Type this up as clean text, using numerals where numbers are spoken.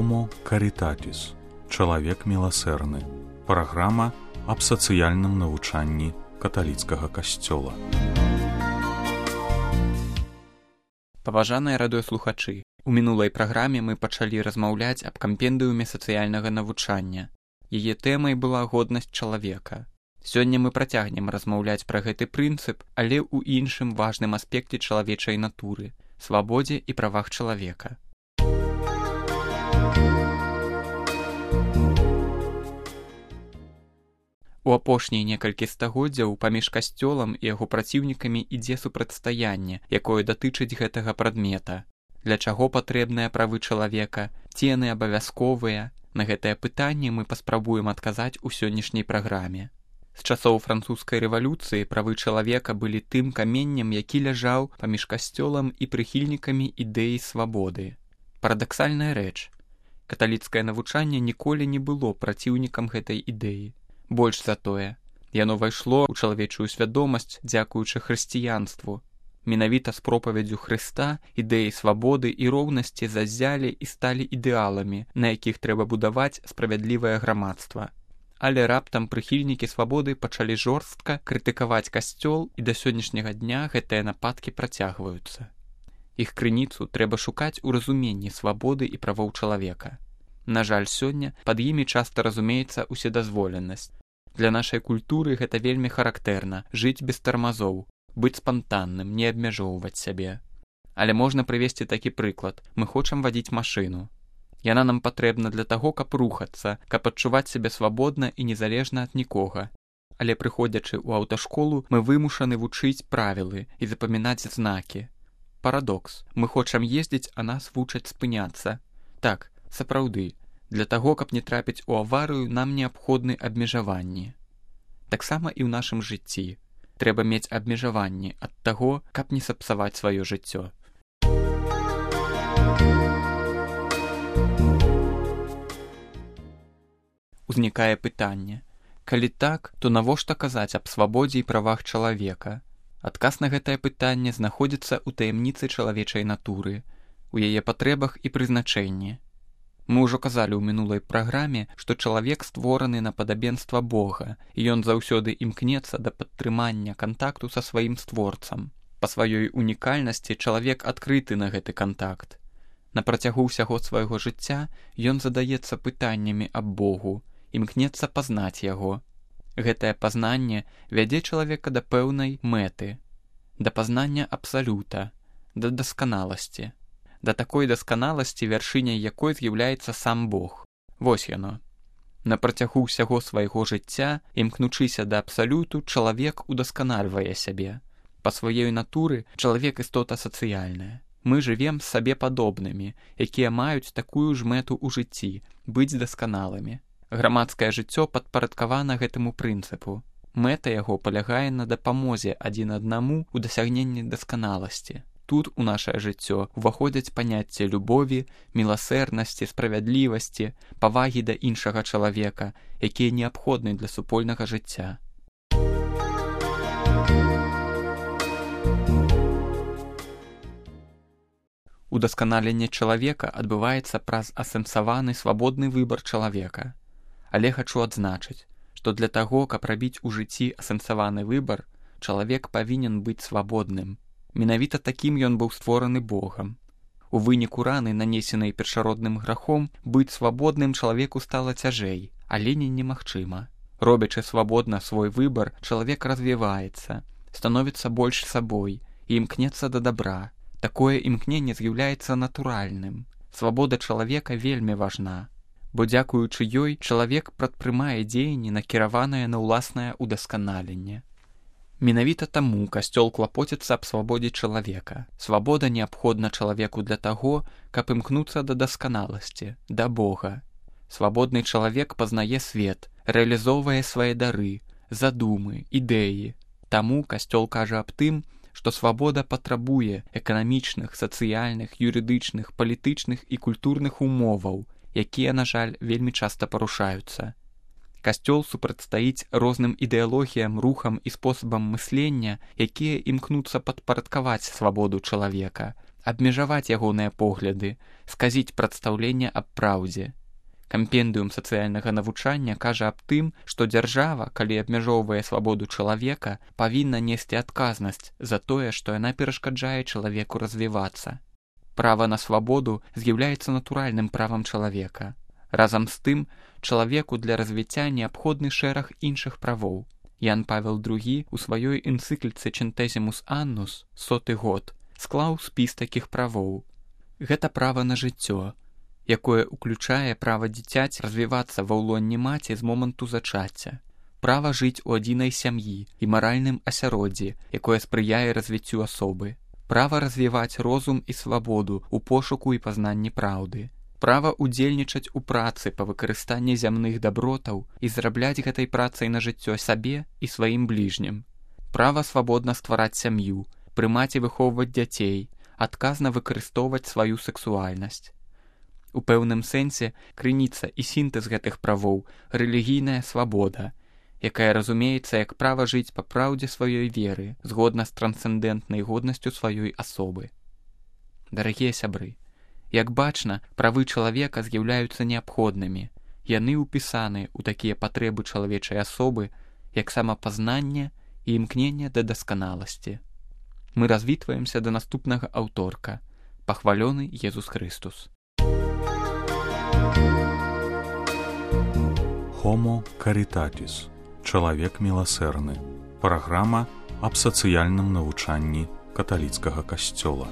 Homo Caritatis. Чалавек міласэрны. Праграма аб сацыяльным навучанні каталіцкага касцёла. Паважаныя радыёслухачы, у мінулай праграме мы пачалі размаўляць аб кампендыуме сацыяльнага навучання. Яе тэмай была годнасць чалавека. Сёння мы працягнем размаўляць пра гэты прынцып, але ў іншым важным аспекце чалавечай натуры – свабодзе і правах чалавека. У апошнія некалькі стагоддзяў паміж касцёлам і яго праціўнікамі ідзе супрацьстаянне, якое датычыць гэтага прадмета. Для чаго патрэбныя правы чалавека, ці яны абавязковыя? На гэтае пытанне мы паспрабуем адказаць у сённяшняй праграме. З часоў французскай рэвалюцыі правы чалавека былі тым каменнем, які ляжаў паміж касцёлам і прыхільнікамі ідэі свабоды. Парадаксальная рэч. Каталіцкае навучанне ніколі не было праціўнікам гэтай ідэі. Больш за тое, яно ўвайшло ў чалавечую свядомасць дзякуючы хрысціянству. Менавіта з пропаведзю Хрыста ідэі свабоды і роўнасці заззялі і сталі ідэаламі, на якіх трэба будаваць справядлівае грамадства. Але раптам прыхільнікі свабоды пачалі жорстка крытыкаваць касцёл, і да сённяшняга дня гэтыя нападкі працягваюцца. Іх крыніцу трэба шукаць у разуменні свабоды і правоў чалавека. На жаль, сёння пад імі часта разумеецца ўседазволенасць. Для нашай культуры гэта вельмі характэрна – жыць без тармазоў, быць спантанным, не абмяжоўваць сябе. Але можна прывесці такі прыклад. Мы хочам вадзіць машыну. Яна нам патрэбна для таго, каб рухацца, каб адчуваць сябе свабодна і незалежна ад нікога. Але прыходзячы ў аўташколу, мы вымушаны вучыць правілы і запамінаць знакі. Парадокс. Мы хочам ездзіць, а нас вучаць спыняцца. Так, сапраўды, для таго, каб не трапіць у аварыю, нам неабходны абмежаванні. Таксама і ў нашым жыцці. Трэба мець абмежаванні ад таго, каб не сапсаваць сваё жыццё. Узнікае пытанне. Калі так, то навошта казаць аб свабодзе і правах чалавека? Адказ на гэтае пытанне знаходзіцца ў таямніцы чалавечай натуры, у яе патрэбах і прызначэнні. Мы ўжо казалі ў мінулай праграме, што чалавек створаны на падабенства Бога, і ён заўсёды імкнецца да падтрымання кантакту са сваім створцам. Па сваёй унікальнасці чалавек адкрыты на гэты кантакт. На працягу ўсяго свайго жыцця ён задаецца пытаннямі аб Богу, імкнецца пазнаць яго. Гэтае пазнанне вядзе чалавека да пэўнай мэты, да пазнання абсалюта, да дасканаласці. Да такой дасканаласці, вяршыняй якой з'яўляецца сам Бог. Вось яно. На працягу ўсяго свайго жыцця, імкнучыся да абсалюту, чалавек удасканальвае сябе. Па сваёй натуры чалавек істота сацыяльная. Мы жывем з сабе падобнымі, якія маюць такую ж мэту ў жыцці – быць дасканалымі. Грамадскае жыццё падпарадкавана гэтаму прынцыпу. Мэта яго палягае на дапамозе адзін аднаму ў дасягненні дасканаласці. Тут у нашае жыццё уваходзяць паняцці любові, міласэрнасці, справядлівасці, павагі да іншага чалавека, якія неабходны для супольнага жыцця. Удасканаленне чалавека адбываецца праз асэнсаваны свабодны выбар чалавека. Але хачу адзначыць, што для таго, каб рабіць у жыцці асэнсаваны выбар, чалавек павінен быць свабодным. Менавіта такім ён быў створаны Богам. У выніку раны, нанесенай першародным грахом, быць свабодным чалавеку стала цяжэй, але не немагчыма. Робячы свабодна свой выбар, чалавек развіваецца, становіцца больш сабой і імкнецца да дабра. Такое імкненне з'яўляецца натуральным. Свабода чалавека вельмі важна, бо дзякуючы ёй чалавек прадпрымае дзеянні, накіраванае на ўласнае ўдасканаленне. Менавіта таму касцёл клапоціцца аб свабодзе чалавека. Свабода неабходна чалавеку для таго, каб імкнуцца да дасканаласці, да Бога. Свабодны чалавек пазнае свет, рэалізоўвае свае дары, задумы, ідэі. Таму касцёл кажа аб тым, што свабода патрабуе эканамічных, сацыяльных, юрыдычных, палітычных і культурных умоваў, якія, на жаль, вельмі часта парушаюцца. Касцёл супрацьстаіць розным ідэалогіям, рухам і спосабам мыслення, якія імкнуцца падпарадкаваць свабоду чалавека, абмежаваць ягоныя погляды, сказіць прадстаўленне аб праўдзе. Кампендыум сацыяльнага навучання кажа аб тым, што дзяржава, калі абмяжоўвае свабоду чалавека, павінна несці адказнасць за тое, што яна перашкаджае чалавеку развівацца. Права на свабоду з'яўляецца натуральным правам чалавека. Разам з тым, чалавеку для развіцця неабходны шэраг іншых правоў. Ян Павел II у сваёй энцыкліцы «Centesimus Annus» 100-й год склаў спіс такіх правоў. Гэта права на жыццё, якое ўключае права дзіцяці развівацца ва ўлонні маці з моманту зачацця, права жыць у адзінай сям'і і маральным асяроддзі, якое спрыяе развіццю асобы, права развіваць розум і свабоду ў пошуку і пазнанні праўды, права ўдзельнічаць у працы па выкарыстанні зямных дабротаў і зарабляць гэтай працай на жыццё сабе і сваім бліжнім, права свабодна ствараць сям'ю, прымаць і выхоўваць дзяцей, адказна выкарыстоўваць сваю сексуальнасць. У пэўным сэнсе крыніца і сінтэз гэтых правоў – рэлігійная свабода, якая разумеецца як права жыць па праўдзе сваёй веры, згодна з трансцэндэнтнай годнасцю сваёй асобы. Дарагія сябры, як бачна, правы чалавека з'яўляюцца неабходнымі. Яны ўпісаны ў такія патрэбы чалавечай асобы, як самапазнанне і імкненне да дасканаласці. Мы развітваемся да наступнага аўторка. Пахвалёны Езус Христус. Homo Caritatis. Чалавек міласэрны. Праграма аб сацыяльным навучанні каталіцкага касцёла.